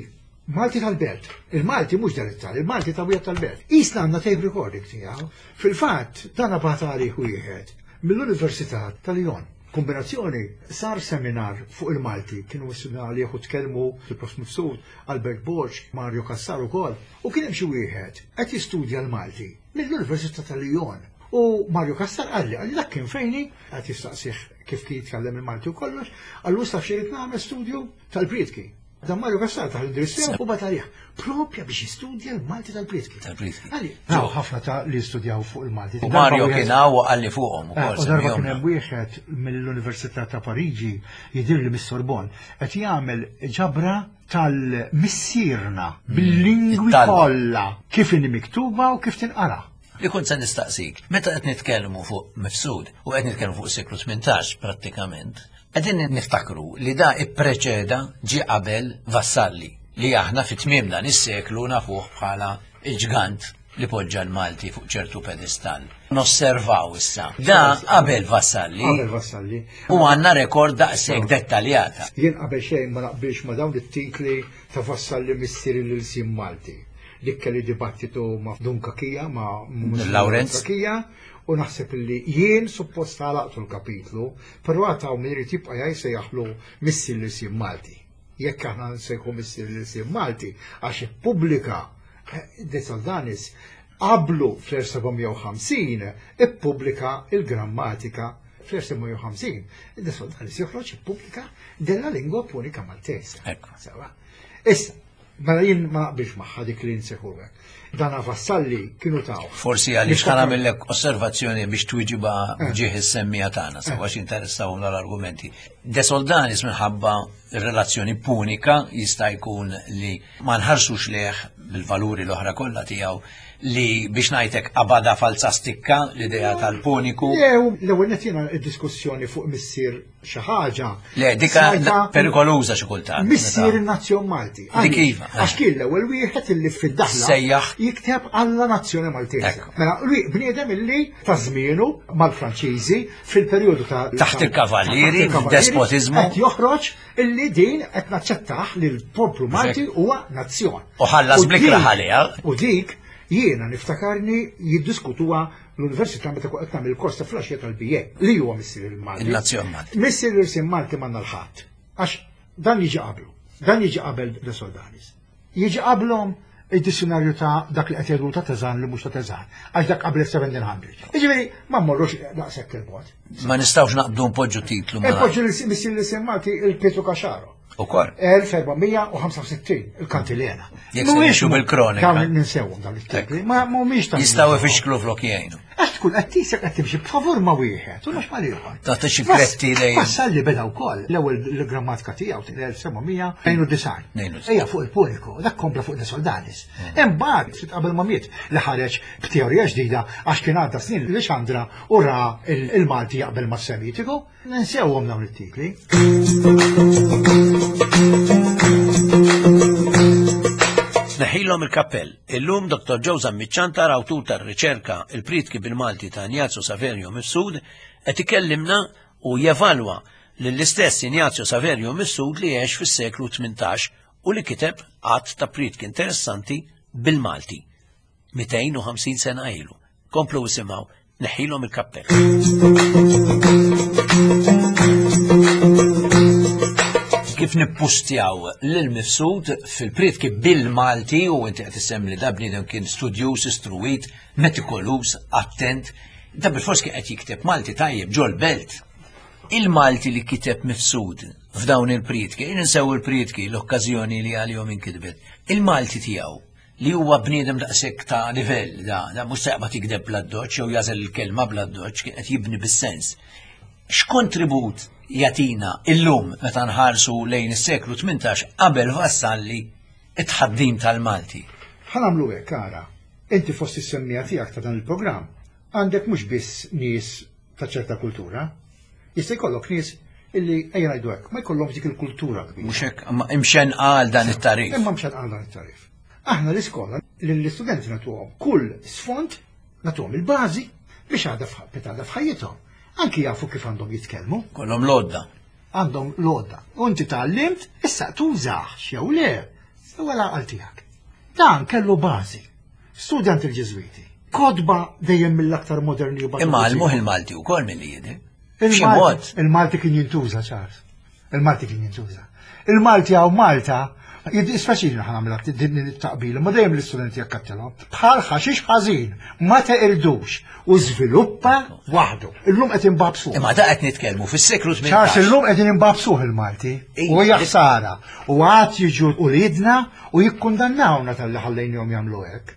Malti tal-Belt. Il-Malti mhux dialettali, il-Malti ta' wieħed tal-Belt. Isna għandna tape recording tiegħu. Fil-fatt, dan bagħat għalih wieħed mill-Università ta' Lyon. Kombinazzjoni sar seminar fuq il-Malti, kienu mistednin għalih u tkellmu il-Prof. Mifsud, Albert Borg, Mario Cassar ukoll. U kien hemm xi wieħed qed jistudja l-Malti mill-Università ta' Lyon. U Mario Cassar qalli, qalli dak kien fejni, qed jistaqsih kif kien jitkellem il-Malti u kollox, qallu taf xi nagħmel studju tal-prietki. Dan Mario Cassar taħ l-indirizz tiegħu u bagħat għalih propja biex jistudja l-Malti tal-prietki. Tal-prietki. Għalli, hawn ħafna ta' li studjaw fuq il-Malti. U Mario kien hawn u qalli fuqhom ukoll. U darba kien hemm wieħed mill-Università ta' Pariġi jidhirli mis-Sorbonne qed jagħmel ġabra tal-missierna bil-lingwi kollha kif inhi miktuba u kif tinqara. Li kont se nistaqsik, meta qed nitkellmu fuq Mifsud u qed nitkellmu fuq seklu 18 prattikament, qegħdin niftakru li da ippreċeda ġie qabel Vassalli li aħna fi tmiem dan is-seklu nafuh bħala il-ġgant li poġġa l-Malti fuq ċertu pedestall. Nosservaw issa. Da qabel Vassalli. Qabel Vassalli. U għandna rekord daqshekk dettaljata. Jien qabel xejn ma naqbilx ma dawn it-titli ta' Vassalli missier l-ilsien Malti. Dik kelli dibattitu ma' Dun Cachia, ma' Lawrenz Cachia, u naħseb li jien suppost għalaqtu l-kapitlu, però għad hawn min irid jibqa' jgħid sejjaħlu missier l-ilsien Malti. Jekk aħna nsejħu missier l-ilsien Malti għax ippubblika De Soldanis qablu fl-1750 ippubblika il-grammatika fl-1750. De Soldanis joħroġ ippubblika della lingua punica maltese. Ekku. Sewa. Issa, mela jien ma naqbilx magħha dik li nsejħu hekk. Dan Vassalli kienu taw. Forsi għaliex ħa nagħmillek osservazzjoni biex twiġiba ġieħ is-semmija tagħna, sewa x'interessawhom l-argumenti. De Soldanis minħabba relazzjoni punika jista' jkun li ma nħarsux lejh bil-valuri l-oħra kollha tiegħu li biex ngħidlek qabadha falza stikka l-idea tal-puniku. Jew l-ewwel nett jiena d-diskussjoni fuq missier xi ħaġa. Le, dika perikoluża xi kultant. Missier in-nazzjon Malti. Dik iva. Għax kien l-ewwel wieħed illi fid-daħla sejjaħ jikteb alla nazzjoni Maltese. Mela, bniedem illi ta' żmienu mal-Franċiżi fil-perjodu ta' taħt il-kavallieri, despotiżmu. Qed joħroġ illi din qed naċċettaħ li l-poplu Malti huwa nazzjon. U ħallas blikra ħalija. U dik jiena niftakarni jiddiskutuha l-università meta kont qed nagħmel il-kors ta' flaxija tal-BA li huwa missier il-Malti. Il-nazzjon Malti. Missier l-irsim Malti m'għandna l-ħadd. Għax dan jiġi qablu. Dan jiġi qabel De Soldanis. Jiġi qablhom id-dizzjonarju ta' dak li qed jgħidu ta' Teżan li mhux ta' Teżan, għax dak qabel 1700. Jiġifieri ma mmorrux daqshekk il-bogħod. Ma nistgħux naqbdu npoġġu titlu. Npoġġu missier l-isem Malti il-Pietru Caxaro. Ukoll. 1465 il-kantilena. Jekk se nimxu bil-kronika. Dawn ninsewhom dawn it-titli, ma mhumiex ta' Jistgħu ifixklu flok jgħinu. Għax tkun qed tisek qed timxi b'favur ma' wieħed u mhux mal-ieħor. Tagħti xi kretti dejjem. Vassalli beda wkoll l-ewwel l-grammatika tiegħu 1792. Ejja fuq il-Puniku, dak kompla fuq De Soldanis. Imbagħad ftit qabel ma miet li ħareġ b'teorija ġdida għax kien għadda snin li Xandra u ra il-Malti jaqbel mas-Semitiku. Ninsewhom dawn it-titli. Neħilhom il-kappell. Illum Dr. Joe Zammit Ciantar, awtur tar-riċerka Il-Prietki bil-Malti ta' Ignazio Saverio Mifsud, qed ikellimna u jevalwa lill-istess Ignazio Saverio Mifsud li għex fis-seklu 18 u li kiteb għadd ta' prietki interessanti bil-Malti. 250 sena ilu. Komplu isimgħu Neħħilhom il-kappell. Kif nippustjaw lil Mifsud fil-prietki bil-Malti u inti qed issemmi li da bniedem kien studjuż, istruwit, metikolus, attent, da bil-fors kien qed jikteb Malti tajjeb ġol belt. Il-Malti li kiteb Mifsud f'dawn il-prietki, ninsew il-prietki l-okkażjoni li għalihom inkitbet, il-Malti tiegħu li huwa bniedem daqshekk ta' livell, da, da mhux se jaqbad jikdeb bl-addoċċ jew jażel il-kelma bl-addoċċ, kien qed jibni bis-sens. X'kontribut jagħtina illum meta nħarsu lejn is-seklu 18 qabel Vassalli it-tħaddim tal-Malti? Ħa nagħmlu hekk, ara, inti fost is-semmiegħa tiegħek ta' dan il-programm għandek mhux biss nies ta' ċerta kultura, jista' jkollok nies illi ejja ngħidu hekk, ma jkollhomx dik il-kultura kbira. Mhux hekk, imma imxenqa għal dan it-tagħrif. Imma mxenqa għal dan it-tagħrif. Aħna l-iskola lill-istudenti nagħtuhom kull sfond, nagħtuhom il-bażi biex għadha għadha f'ħajjithom. Anki jafu kif għandhom jitkellmu. Kollhom l-għodda. Għandhom l-għodda. U inti tgħallimt, issa tużax jew le, huwa l-għaqal tiegħek. Dan kellu bażi. Studja għand il-Ġiżwiti. Kotba dejjem mill-aktar moderni u Imma għallmuh il-Malti wkoll milli jidher. B'xi mod. Il-Malti kien jintuża, Charles. Il-Malti kien jintuża. Il-Malti hawn Malta, jiddispjaċini ħa nagħmilha din it-taqbil, imma dejjem l-istudenti jakkattilhom. Bħal ħaxix ħażin, ma teqirdux u żviluppa waħdu. Illum qed imbabsuh. Imma da qed nitkellmu fis-seklu 18. Charles, illum qegħdin imbabsuh il-Malti. U hija ħsara. U għad jiġu uliedna u jikkundannawna talli ħallejnihom jagħmlu hekk.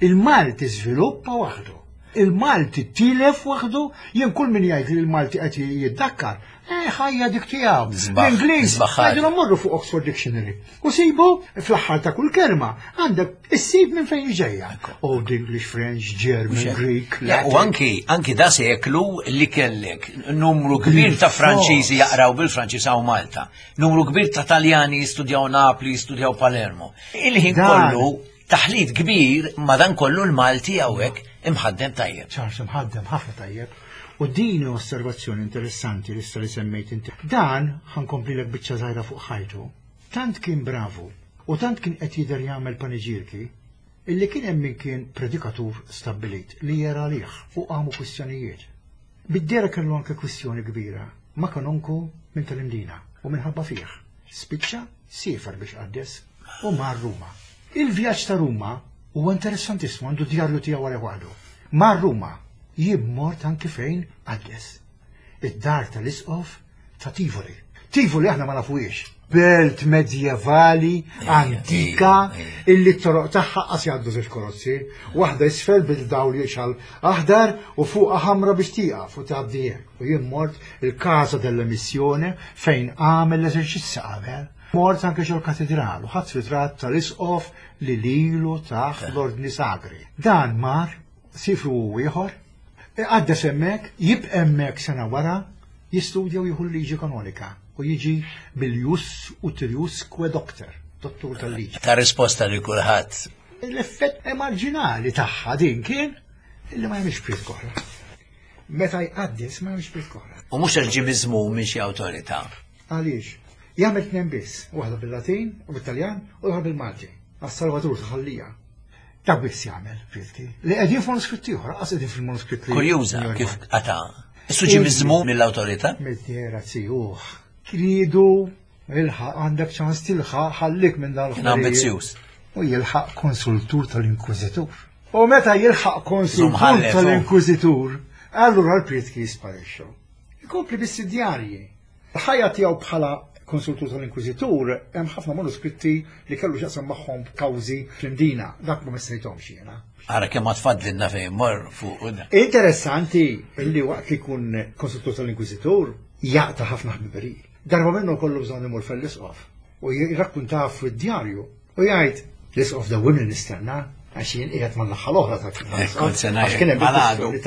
Il-Malti żviluppa waħdu. Il-Malti tilef waħdu, jien kull min jgħid li l-Malti qed jiddakkar, eh, ħajja dik tiegħu. L-Ingliż, għidilhom morru fuq Oxford Dictionary. U sibu fl-aħħar ta' kull kelma għandek issib minn fejn ġejja. Old English, French, German, Greek. U anki anki da seklu li kellek numru kbir ta' Franċiżi jaqraw bil-Franċiż hawn Malta. Numru kbir ta' Taljani jistudjaw Napli, jistudjaw Palermo. Il-ħin kollu taħlit kbir madankollu l-Malti hawnhekk imħaddem tajjeb. Charles imħaddem ħafna tajjeb. U din hi osservazzjoni interessanti li issa li semmejt inti. Dan ħankomplilek biċċa żgħira fuq ħajtu. Tant kien bravu u tant kien qed jidher jagħmel paniġierki illi kien hemm min kien predikatur stabbilit li jera għalih u qamu kwistjonijiet. Bid-dehra kellu anke kwistjoni kbira ma' kanonku minn tal-Imdina u minħabba fih spiċċa siefer biex qaddes u mar Ruma. Il-vjaġġ ta' Ruma huwa interessantissmu, għandu djarju tiegħu għalih waħdu. Mar Ruma, jien mort anki fejn qaddes. Id-dar tal-isqof ta' Tivoli. Tivoli aħna ma nafuhiex. Belt medjevali, antika, illi t-toroq tagħha qas jgħaddu żewġ karozzi, waħda isfel bil-dawl jixgħal aħdar u fuqha ħamra biex tieqaf u tgħaddi hekk. U jien mort il-Casa della Missione fejn għamel l-eżerċizzi qabel. Mort anke ġol katedral u ħadt ritratt tal-isqof li lilu tah l-ordni sagri. Dan mar, sifru hu ieħor, iqaddes hemmhekk, jibqa' hemmhekk sena wara, jistudja u jieħu l-liġi kanonika u jiġi bil-jus utriusque doctor, dottur tal-liġi. Ta' risposta lil kulħadd. L-effett marġinali tagħha din kien illi ma jagħmilx priedka oħra. Meta jqaddes ma jagħmilx priedka oħra. U mhux għax ġie miżmum minn xi awtorità. Għaliex? Jagħmel tnejn biss, waħda bil-Latin u bit-Taljan u l-oħra bil-Malti. Għas-Salvatur ta' Ħal Lija. Dak biss jagħmel, Pilti. Li qegħdin f'manuskritt ieħor, qas qegħdin fil-manuskritt li. Kurjuża kif qata'. Issu ġie miżmum mill-awtorità? Mid-dehra zijuh. Tridu ilħaq għandek ċans tilħaq ħallik minn dan Kien ambizzjuż. U jilħaq konsultur tal-Inkwiżitur. U meta jilħaq konsultur tal-Inkwiżitur, allura l-prietki jisparixxu. Ikompli biss id-djarji. Il-ħajja tiegħu bħala konsultur tal-Inkwiżitur, hemm ħafna manuskritti li kellu x'jaqsam magħhom kawżi fl-Imdina, dak ma messejthomx jiena. Ara kemm ma tfaddlilna fejn mor fuq. Interessanti li waqt li jkun konsultur tal-Inkwiżitur jaqta' ħafna ħbiberiji. Darba minnu kollu bżonn imur fell-isqof u jirrakkuntaha fid-djarju u jgħid l-isqof dawwimni nistenna għax jien qiegħed mal-naħa l-oħra ta' għax kien hemm il-kwistjoni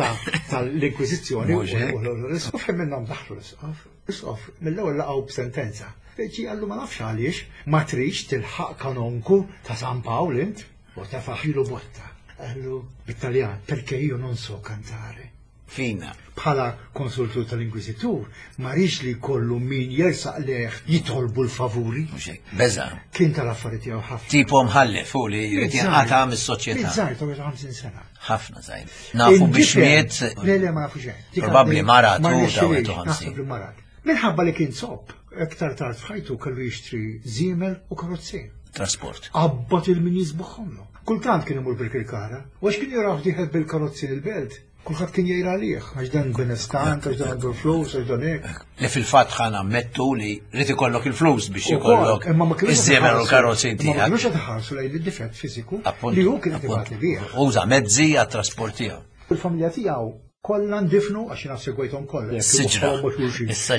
tal-Inkwiżizzjoni u l-isqof hemm minnhom daħlu l-isqof. L-isqof mill-ewwel laqgħu b'sentenza. Ġi qallu ma nafx għaliex ma tridx tilħaq kanonku ta' San Pawl int u tefaħilu botta. Qallu bit-Taljan, perché io non so cantare. Fina. Bħala konsultur tal-Inkwiżitur, ma rridx li jkollu min jersaq lejh jitolbu l-favuri. Mhux hekk, beża'. Kien tal-affari tiegħu ħafna. Tipo mħallef hu li jrid jinqata' mis-soċjetà. Żgħir ta' 50 sena. Ħafna żgħir. Nafu biex miet. Le, le, ma nafu xejn. Probabbli marat u ta' 51. Naħseb li marat. Minħabba li kien zopp, iktar tard f'ħajtu kellu jixtri żiemel u karozzin. Trasport. Qabbat il-min jiżbuħħomlu. Kultant kien imur bil-kirkara, u għax kien jaraw dieħel bil-karozzin il-belt, Kulħadd kien jgħir għalih, għax dan benestant, għax dan għandu l-flus, għax dan hekk. Li fil-fatt ħa nammettu li rrid ikollok il-flus biex ikollok iż-żiemel u l-karozzi tiegħek. Ma kinux qed iħarsu lejn id-difett fiżiku li hu kien qed ibati bih. Uża mezzi għat-trasport tiegħu. Il-familja tiegħu kollha ndifnu għax jiena segwejthom kollha. Siġra.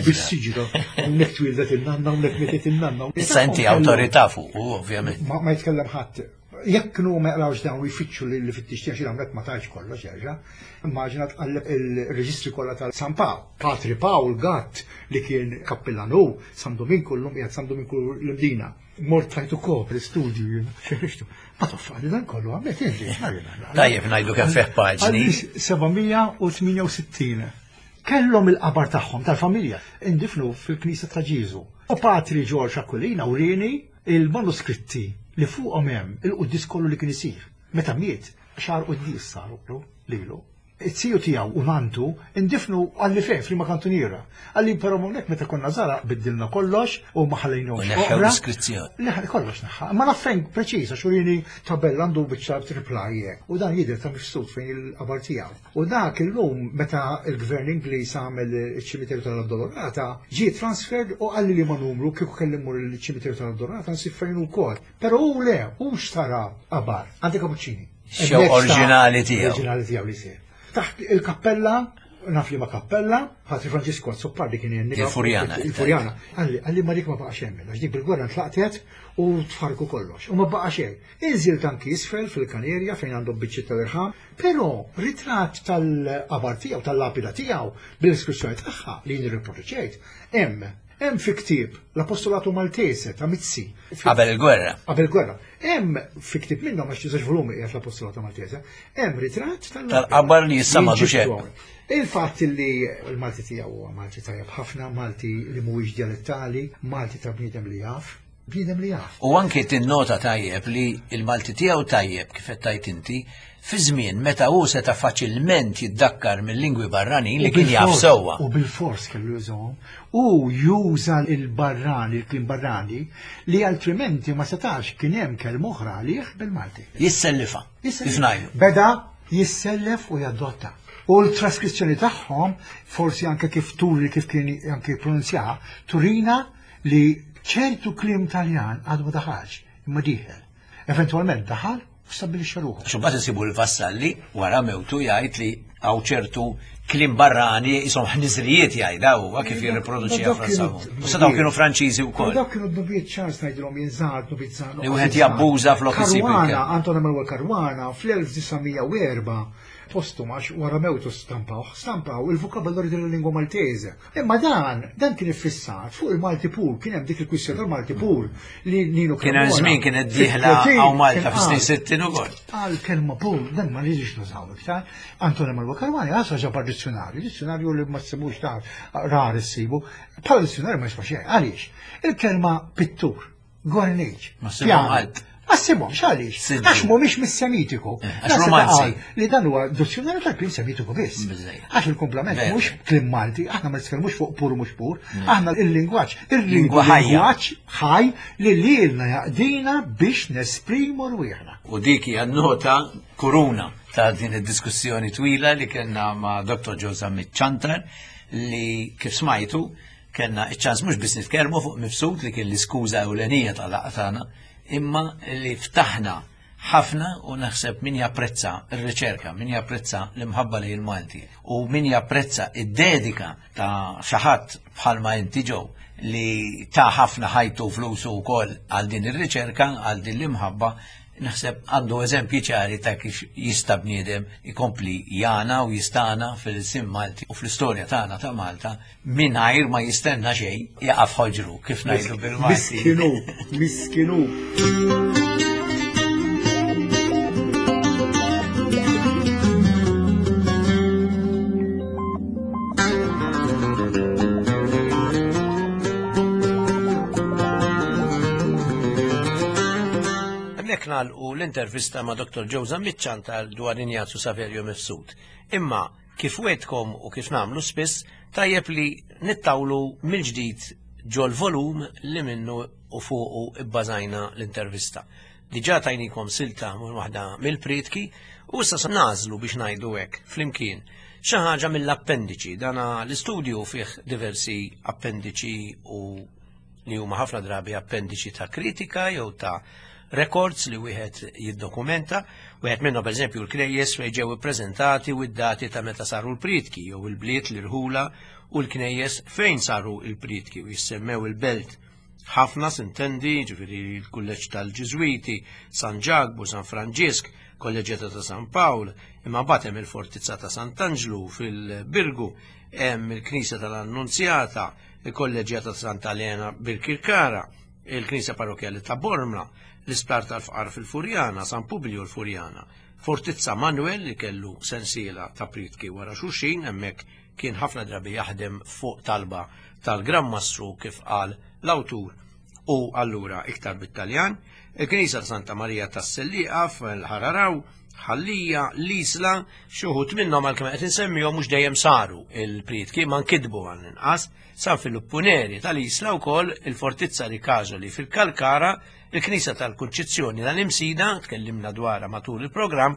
Bis-siġra. Hawnhekk twieldet in-nanna, hawnhekk mietet in-nanna. Issa inti awtorità fuq, ovvjament. Ma jitkellem ħadd. Jekk kienu ma jaqrawx dawn u jfittxu li fittix tiegħek xi għamlet ma tajx kollox jerġa'. Immaġina tqalleb il-reġistri kollha ta' San Pawl. Patri Pawl Gatt li kien kappillan hu, San Dominku llum qiegħed San Dominku l-Imdina. Mort tajtu kopri studju jien, xi Ma toffali dan kollu għamlet inti. Tajjeb ngħidu kemm fih paġni. 768. Kellhom il-qabar tagħhom tal-familja indifnu fil-Knisja ta' Ġieżu. U Patri Ġorġ Aquilina wrieni Il-manuskritti li fuqhom hemm il-quddies kollu li kien isir. Meta miet, xahar quddies saru lilu. Iz-ziju tiegħu u nantu ndifnu qalli fejn f'liema kantuniera. Qalli però hawnhekk meta konna żgħar biddilna kollox u ma ħallejnihomx oqra. U neħħew l-iskrizzjoni. Le kollox neħħa. Ma naf fejn preċiż għax urini tabella għandu biċċa triplaj hekk. U dan jidher ta' mifsud fejn il-qabar tiegħu. U dak illum meta l-gvern Ingliż għamel iċ-ċimiterju tal-Addolorata, ġie transferred u qalli liema numru kieku kelli mmur il-ċimiterju tal-Addolorata nsib fejn hu wkoll. Però hu le, hu xtara qabar għand il-Kapuċċini. Xew oriġinali tiegħu. Oriġinali tiegħu li jsir. Taħt il-kappella, naf li ma kappella, Patri Franġisku Azzopardi kien jenni. Il-Furjana. Il-Furjana. Qalli, qalli ma dik ma baqax hemm, għax dik bil-gwerra ntlaqtet u tfarku kollox. U ma baqa xejn. Inżilt anki isfel fil-kanerja fejn għandhom biċċiet tal-irħam, però ritratt tal-qabar tiegħu, tal-lapida tiegħu, bil-iskrizzjoni tagħha li jien irriproduċejt, hemm. Hemm fi ktieb l-Apostolatu Maltese ta' Mizzi. Qabel il-gwerra. Qabel il-gwerra. Hemm fi ktieb minnhom għax żewġ volumi qiegħed l-Apostolatu Maltese, hemm ritratt tal-qabar li issa m'għadux hemm. Il-fatt li l-Malti tiegħu huwa Malti tajjeb ħafna, Malti li mhuwiex djalettali, Malti ta' bniedem li jaf. Bniedem li jaf. U anki tinnota tajjeb li l-Malti tiegħu tajjeb kif qed tgħid inti, fi żmien meta hu seta' faċilment jiddakkar mill-lingwi barranin li kien jaf sewwa. U bilfors kellu jużahom. Hu juża l-barrani, il-kliem barrani, li altrimenti ma setax kien hemm kelma oħra għalih bil-Malti. Jissellifha, kif ngħidu. Beda jissellef u jadotta. U l-traskrizzjoni tagħhom, forsi anke kif turi kif kien anke jippronunzjaha, turina li ċertu kliem Taljan għadu ma daħalx, imma dieħel. Eventwalment daħal u stabbilixxa ruħu. Għax imbagħad insibu l-Vassalli wara mewtu jgħid li hawn ċertu kliem barrani jisom ħniżrijiet jgħidha huwa kif jirriproduċiha Franza. U sa dawn kienu Franċiżi wkoll. Dawk kienu dnubiet ċars ngħidilhom jien żgħar dnubiet żgħar. Li wieħed jabbuża flok isib. Caruana, Anton Emanuel Caruana fl-1904 postum għax wara mewtu stampawh, stampaw il-vokabolarju della-lingua Maltese. Imma dan, dan kien iffissat fuq il-Malti pur, kien hemm dik il-kwistjoni tal-Malti pur li Nino Kien hemm żmien kienet dieħla hawn Malta fis-snin 60 ukoll. Għal kelma pur, dan ma rridx nużaw iktar. Antonio Malwa Karwani għasra ġabar dizzjonarju, dizzjonarju li ma ssibux ta' rar issibu. Bħala dizzjonarju ma jiswa xejn. Għaliex? Il-kelma pittur Gorniċ. Ma ssibhom ħadd. Ma ssibhomx għaliex? Għax mhumiex mis-Semitiku. Eh, għax romanzi. Li dan huwa dizzjonarju tal-klim Semitiku biss. Għax il-komplement mhux klim Malti, aħna ma nitkellmux fuq pur mhux pur, mm. aħna il-lingwaġġ, il-lingwaġġ ħaj li lilna jaqdina biex nesprimu rwieħna. U dik hija nota kuruna ta' din id-diskussjoni twila li kellna ma' Dr. Joe Zammit Ċantar li kif smajtu. Kellna iċ-ċans mhux biss nitkellmu fuq Mifsud li kien l-iskuża ewlenija tal-laqgħa tagħna, imma li ftaħna ħafna u naħseb min japprezza r-riċerka, min japprezza l-imħabba li il-Malti u min japprezza id-dedika ta' xi ħadd bħalma inti ġew li ta' ħafna ħajtu flusu wkoll għal din ir-riċerka, għal din l-imħabba, naħseb għandu eżempji ċari ta' kif jista' bniedem ikompli jana u jistana fil-sim Malti u fl-istorja tagħna ta' Malta mingħajr ma jistenna xejn jaqaf ħoġru kif ngħidu bil-Malti. Miskinu, miskinu. Hemmhekk nagħlqu l-intervista ma' Dr. Joe Zammit Ciantar dwar Injazju Saverio Mifsud. Imma kif wegħdkom u kif nagħmlu spiss, tajjeb li nittawlu mill-ġdid ġol-volum li minnu u fuqu bbażajna l-intervista. Diġà tajnikom silta minn waħda mill-prietki u issa se nagħżlu biex ngħidu hekk flimkien xi ħaġa mill-appendiċi. Dana l-istudju fih diversi appendiċi u li huma ħafna drabi appendiċi ta' kritika jew ta' records li wieħed jiddokumenta. Wieħed minnhom pereżempju l-knejjes fejn ġew ippreżentati u d-dati ta' meta saru l-prietki jew il-bliet l-irħula u l-knejjes fejn saru l-prietki u jissemmew il-belt ħafna sintendi, ġifieri l-kulleġġ tal-Ġiżwiti, San Ġakbu, San Franġisk, Kolleġġjata ta' San Pawl, imma mbagħad hemm il-Fortizza ta' Sant'Anġlu fil-Birgu, hemm il-Knisja tal-Annunzjata, il-Kolleġġjata ta' Santa Elena Birkirkara, il-Knisja Parrokkjali ta' Bormla, l-Isptar tal-Fqar fil-Furjana, San Publiju l-Furjana, Fortizza Manuel li kellu sensiela ta' prietki wara xulxin, hemmhekk kien ħafna drabi jaħdem fuq talba tal-Gran Mastru kif qal l-awtur u allura iktar bit-Taljan, il-Knisja ta' Santa Marija tas-Sellieqa fil-Ħararaw, Ħal-Lija, l-Isla, xi wħud minnhom għalkemm qed insemmihom mhux dejjem saru il-prietki ma nkitbu għall-inqas, San Filippu Neri tal-Isla wkoll, il-Fortizza Ricasoli fil-Kalkara, il-Knisja tal-Kunċizzjoni tal-Imsida, tkellimna dwarha matul il-programm,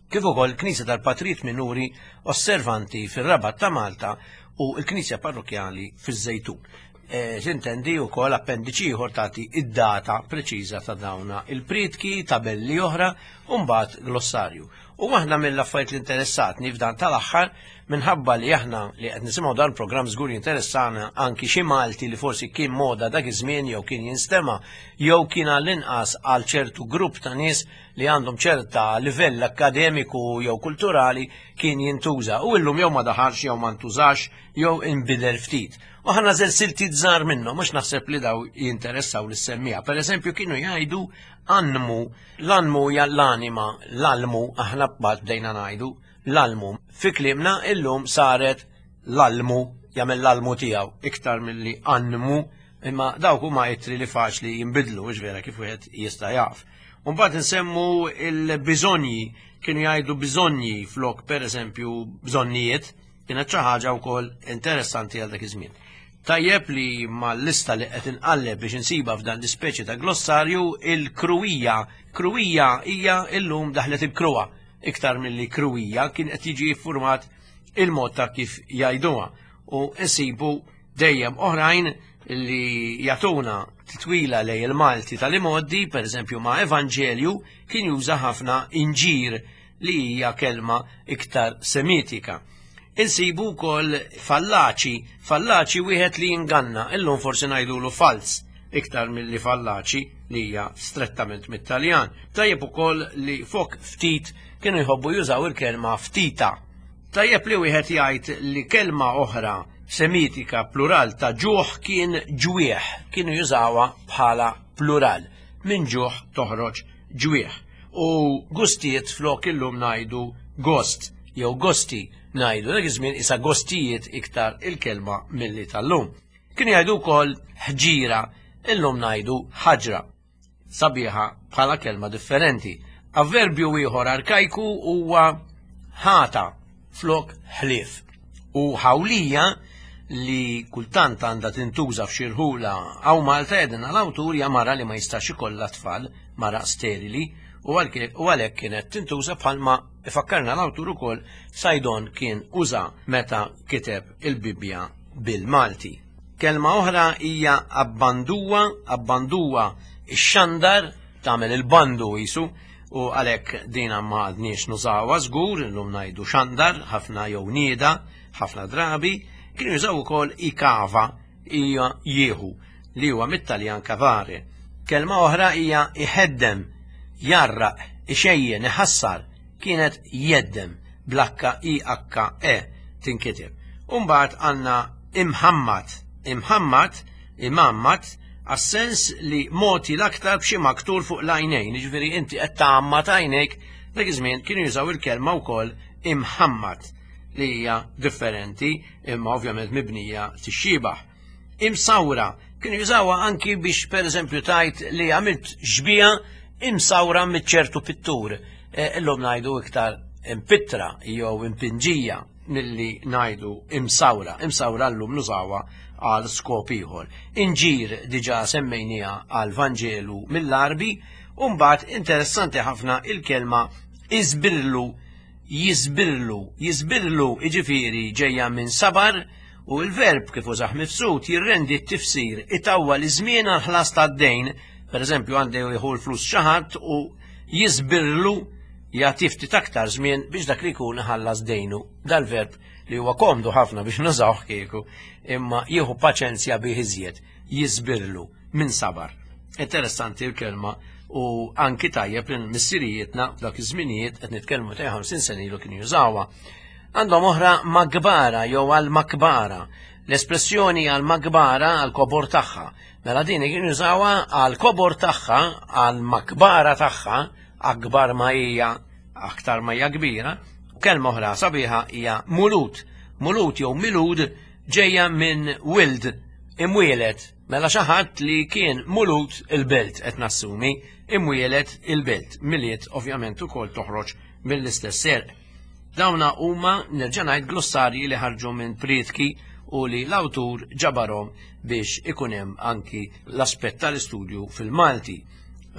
kif ukoll il-Knisja tal-Patrijiet Minuri Osservanti fir-Rabat ta' Malta u l-Knisja Parrokkjali fiż-Żejtun. E, Tintendi wkoll appendiċi ieħor tagħti id-data preċiża ta' dawna il-prietki, tabelli oħra u mbagħad glossarju. U waħda mill-affarijiet li interessatni f'dan tal-aħħar minħabba li aħna li qed nisimgħu dan programm żgur jinteressana anki xi Malti li forsi kien moda dak iż-żmien jew kien jinstema' jew kien għall-inqas għal ċertu grupp ta' nies li għandhom ċerta livell akkademiku jew kulturali kien jintuża u illum jew ma daħalx jew ma ntużax jew inbidel ftit. U ħa nagħżel siltiet żgħar minnhom mhux naħseb li daw jinteressaw lis-semmiegħa. Per eżempju kienu jgħidu anmu, l-anmu hija l-anima, l-almu, aħna bad bdejna ngħidu l-almu. Fi kliemna illum saret l-almu, jagħmel l-almu tiegħu iktar milli anmu, imma dawk huma ittri li faċli jinbidlu, mhux vera kif wieħed jista' jaf. Mbagħad insemmu il-biżonji, kienu jgħidu biżonji flok pereżempju bżonnijiet, Kienet xi ħaġa wkoll interessanti għal dak iż-żmien. Tajjeb li mal-lista li qed inqalleb biex insiba f'dan l-ispeċi ta' glossarju il-kruwija. Kruwija hija illum daħlet il-kruwa iktar milli kruwija kien qed jiġi ffurmat il-mod ta' kif jgħiduha u nsibu dejjem oħrajn li jagħtuna titwila lej il-Malti tal-imoddi, per eżempju ma' Evanġelju, kien juża ħafna inġir li hija kelma iktar Semitika. Insibu wkoll fallaċi, fallaċi wieħed li jinganna, illum forsi ngħidulu falz iktar milli fallaċi li hija strettament mit-Taljan. Tajjeb ukoll li fok ftit kienu jħobbu jużaw il-kelma ftita. Tajjeb li wieħed jgħid li kelma oħra Semitika plural ta' ġuħ kien ġwieħ, kienu jużawha bħala plural. Minn ġuħ toħroġ ġwieħ. U gustijiet flok illum ngħidu gost jew gosti ngħidu dak iż-żmien isa gostijiet iktar il-kelma milli tal-lum. Kienu jgħidu wkoll ħġira, illum ngħidu ħaġra. Sabiħa bħala kelma differenti. Avverbju ieħor arkajku huwa ħata flok ħlief. U ħawlija li kultant għandha tintuża f'xi rħula hawn Malta jgħidilna l-awtur hija mara li ma jistax ikollha tfal, mara sterili, u għalhekk kienet tintuża bħalma ifakkarna l-awtur ukoll Saydon kien uża meta kiteb il-Bibbja bil-Malti. Kelma oħra hija abbanduwa, abbanduwa ix-xandar tagħmel il-bandu jisu u għalhekk dina ma għadniex nużawha żgur, illum ngħidu xandar ħafna jew nieda ħafna drabi, kienu jużaw ukoll ikava hija jieħu li huwa mit-Taljan cavare. Kelma oħra hija iħeddem, jarraq, ixejjen, iħassar, kienet jeddem bl-H I H E tinkiteb. U mbagħad għandna imħammad, imħammad, imgħammad, għas-sens li mogħti l-aktar b'xi maktur fuq l-għajnejn, jiġifieri inti qed tgħammad għajnejk, dak iż-żmien kienu jużaw il-kelma wkoll imħammad li hija differenti imma ovvjament mibnija tixxibaħ. Imsawra kienu jużawha anki biex pereżempju tajt li għamilt xbija imsawra mit ċertu pittur. E, illum ngħidu iktar impittra jew impinġija milli ngħidu imsawra. Imsawra llum nużawha għal skop ieħor. Inġir diġà semmejniha għal Vanġelu mill-Arbi, u mbagħad interessanti ħafna il-kelma iżbirlu jiżbirlu, jiżbirlu jiġifieri ġejja minn sabar u l-verb kif użah Mifsud jirrendi t-tifsir itawwal iż-żmien għall-ħlas tad-dejn, pereżempju għandu jieħu l-flus xi ħadd u jiżbirlu jagħti ftit aktar żmien biex dak li jkun iħallas dejnu. Dal-verb li huwa komdu ħafna biex nużawh kieku, imma jieħu paċenzja bih iżjed, jiżbirlu minn sabar. Interessanti l-kelma u anki tajjeb li missirijietna f'dak iż-żminijiet qed nitkellmu ta' 50 sena ilu kienu jużawha. Għandhom oħra makbara jew għal makbara. L-espressjoni għal makbara għal kobor tagħha. Mela din kienu jużawha għal kobor tagħha, għal makbara tagħha, akbar ma hija aktar ma hija kbira. Kelma oħra sabiħa hija mulut. Mulut jew milud ġejja minn wild, imwielet. Mela xi ħadd li kien mulut il-belt qed nassumi, imwielet il-belt. Milied ovvjament ukoll toħroġ mill-istess serq. Dawna huma nerġa' ngħid glossarji li ħarġu minn prietki u li l-awtur ġabarhom biex ikun hemm anki l-aspett tal-istudju fil-Malti.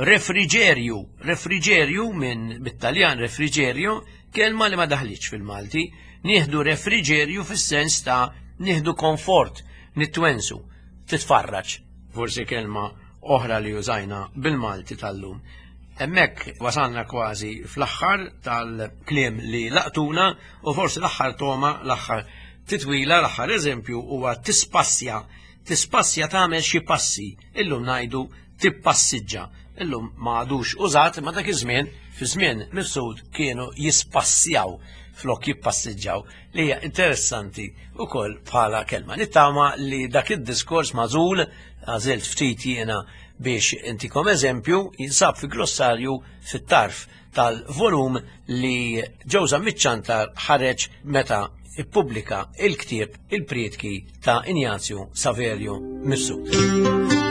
Refriġerju, refriġerju minn bit-Taljan refriġerju, kelma li ma daħlitx fil-Malti, nieħdu refriġerju fis-sens ta' nieħdu komfort, nitwensu, titfarraġ, forsi kelma oħra li użajna bil-Malti tal-lum. Hemmhekk wasalna kważi fl-aħħar tal-kliem li laqtuna u forsi l-aħħar toma, l-aħħar titwila, l-aħħar eżempju huwa tispassja. Tispassja tagħmel xi passi, illum ngħidu tippassiġġa. Illum ma għadux użat, ma dak iż-żmien, fi żmien Mifsud kienu jispassjaw flok jippassiġġaw, li hija interessanti wkoll bħala kelma. Nittama li dak id-diskors magħżul, għażilt ftit jiena biex intikom eżempju, jinsab fi glossarju fit-tarf tal-volum li Ġewża Miċċantar ħareġ meta ippubblika il-ktieb Il-Prietki ta' Injazju Saverio Mifsud.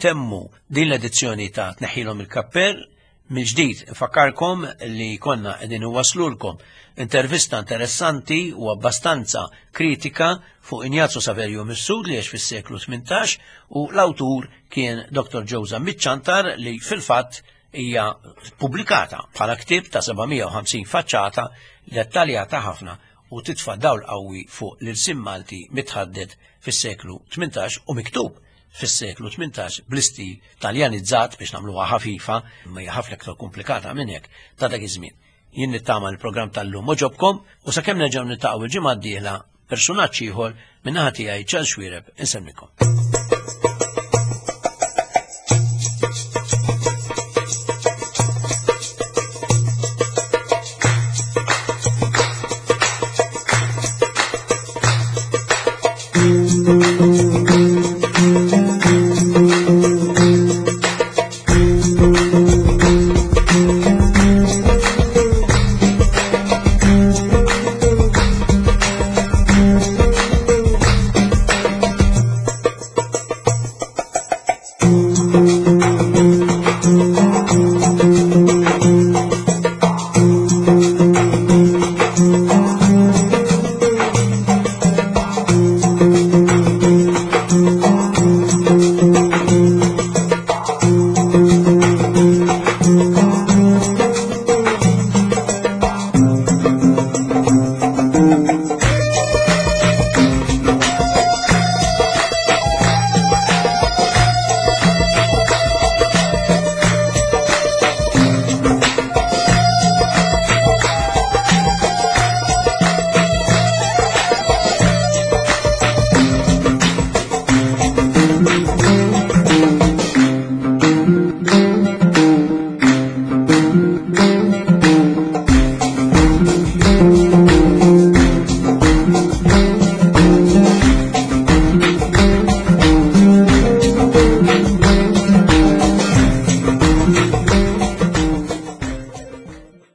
Intemmu din l-edizzjoni ta' Tneħħilhom il-Kappell. Mill-ġdid infakkarkom li konna qegħdin iwasslulkom intervista interessanti u abbastanza kritika fuq Ignazio Saverio Mifsud li għex fis-seklu 18 u l-awtur kien Dr. Joe Zammit Ciantar li fil-fatt hija pubblikata bħala ktieb ta' 750 faċċata dettaljata ħafna u titfa' dawl qawwi fuq l-ilsien Malti mitħaddet fis-seklu 18 u miktub fis-seklu 18 bl-istil Taljanizzat biex nagħmluha ħafifa, imma hija ħafna iktar komplikata minn hekk ta' dak iż-żmien. Jien nittama l-programm tal-lum oġobkom u sakemm nerġgħu niltaqgħu il-ġimgħa d-dieħla persunaġġ ieħor min-naħa tiegħi Charles Xuereb insemmikom.